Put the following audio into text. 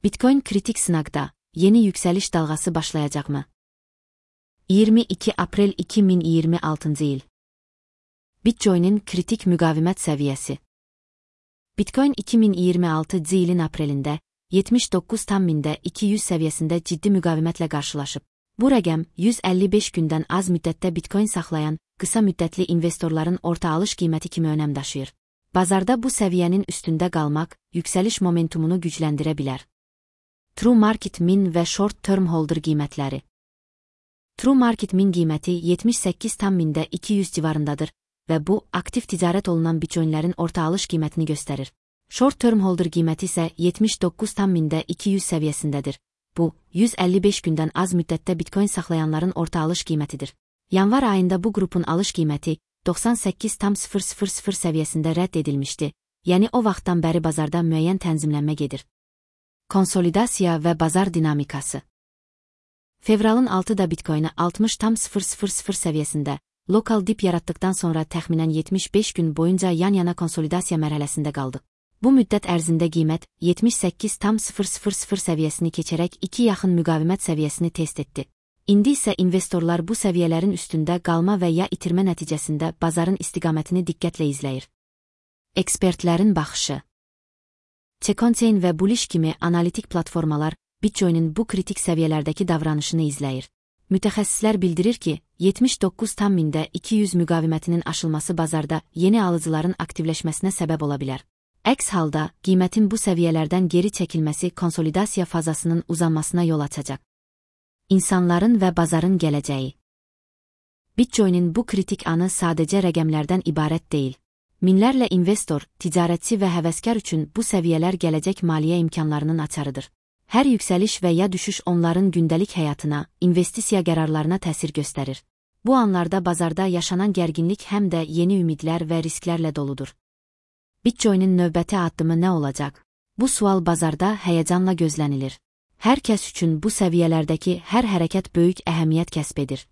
Bitcoin kritik sınaqda, yeni yükseliş dalğası başlayacaqmı? 22 Aprel 2026 il. Bitcoin'in kritik müqavimət səviyyəsi. Bitcoin 2026 ilin aprelində 79.200 səviyyəsində ciddi müqavimətlə qarşılaşıb. Bu rəqəm 155 gündən az müddətdə Bitcoin saxlayan qısa müddətli investorların orta alış qiyməti kimi önəm daşıyır. Bazarda bu səviyyənin üstündə qalmaq yüksəliş momentumunu gücləndirə bilər. True Market Min və Short Term Holder qiymətləri. True Market Min qiyməti 78.200 civarındadır və bu, aktiv ticarət olunan Bitcoinlərin orta alış qiymətini göstərir. Short Term Holder qiyməti isə 79.200 səviyyəsindədir. Bu, 155 gündən az müddətdə Bitcoin saxlayanların orta alış qiymətidir. Yanvar ayında bu qrupun alış qiyməti 98.000 səviyyəsində rədd edilmişdi, yəni o vaxtdan bəri bazarda müəyyən tənzimlənmə gedir. Konsolidasiya və bazar dinamikası. Fevralın 6-da Bitcoin'ı 60.000 səviyyəsində, lokal dip yaratdıqdan sonra təxminən 75 gün boyunca yan-yana konsolidasiya mərhələsində qaldı. Bu müddət ərzində qiymət 78.000 səviyyəsini keçərək 2 yaxın müqavimət səviyyəsini test etdi. İndi isə investorlar bu səviyyələrin üstündə qalma və ya itirmə nəticəsində bazarın istiqamətini diqqətlə izləyir. Ekspertlərin baxışı. Checkpoint və Bullish kimi analitik platformalar Bitcoin'in bu kritik səviyyələrdəki davranışını izləyir. Mütəxəssislər bildirir ki, 79.200 müqavimətinin aşılması bazarda yeni alıcıların aktivləşməsinə səbəb ola bilər. Əks halda, qiymətin bu səviyyələrdən geri çəkilməsi konsolidasiya fazasının uzanmasına yol açacaq. İnsanların və bazarın gələcəyi. Bitcoin'in bu kritik anı sadəcə rəqəmlərdən ibarət deyil. Minlərlə investor, ticarətçi və həvəskar üçün bu səviyyələr gələcək maliyyə imkanlarının açarıdır. Hər yüksəliş və ya düşüş onların gündəlik həyatına, investisiya qərarlarına təsir göstərir. Bu anlarda bazarda yaşanan gərginlik həm də yeni ümidlər və risklərlə doludur. Bitcoin'in növbəti addımı nə olacaq? Bu sual bazarda həyəcanla gözlənilir. Hər kəs üçün bu səviyyələrdəki hər hərəkət böyük əhəmiyyət kəsb edir.